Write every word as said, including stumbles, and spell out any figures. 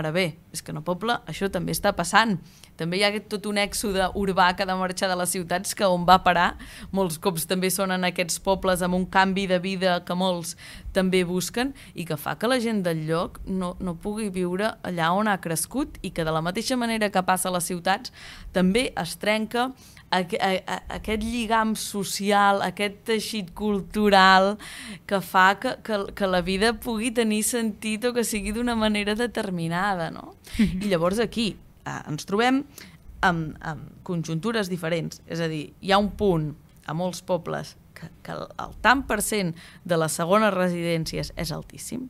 Ara bé, és que en el poble això també està passant. També hi ha tot un èxode urbà que ha de marxar de les ciutats, que on va parar molts cops també són en aquests pobles amb un canvi de vida que molts també busquen i que fa que la gent del lloc no, no pugui viure allà on ha crescut i que de la mateixa manera que passa a les ciutats també es trenca aquest lligam social, aquest teixit cultural que fa que, que, que la vida pugui tenir sentit o que sigui d'una manera determinada, no? Mm-hmm. I llavors aquí eh, ens trobem amb, amb conjuntures diferents, és a dir, hi ha un punt a molts pobles que, que el, el tant per cent de les segones residències és altíssim,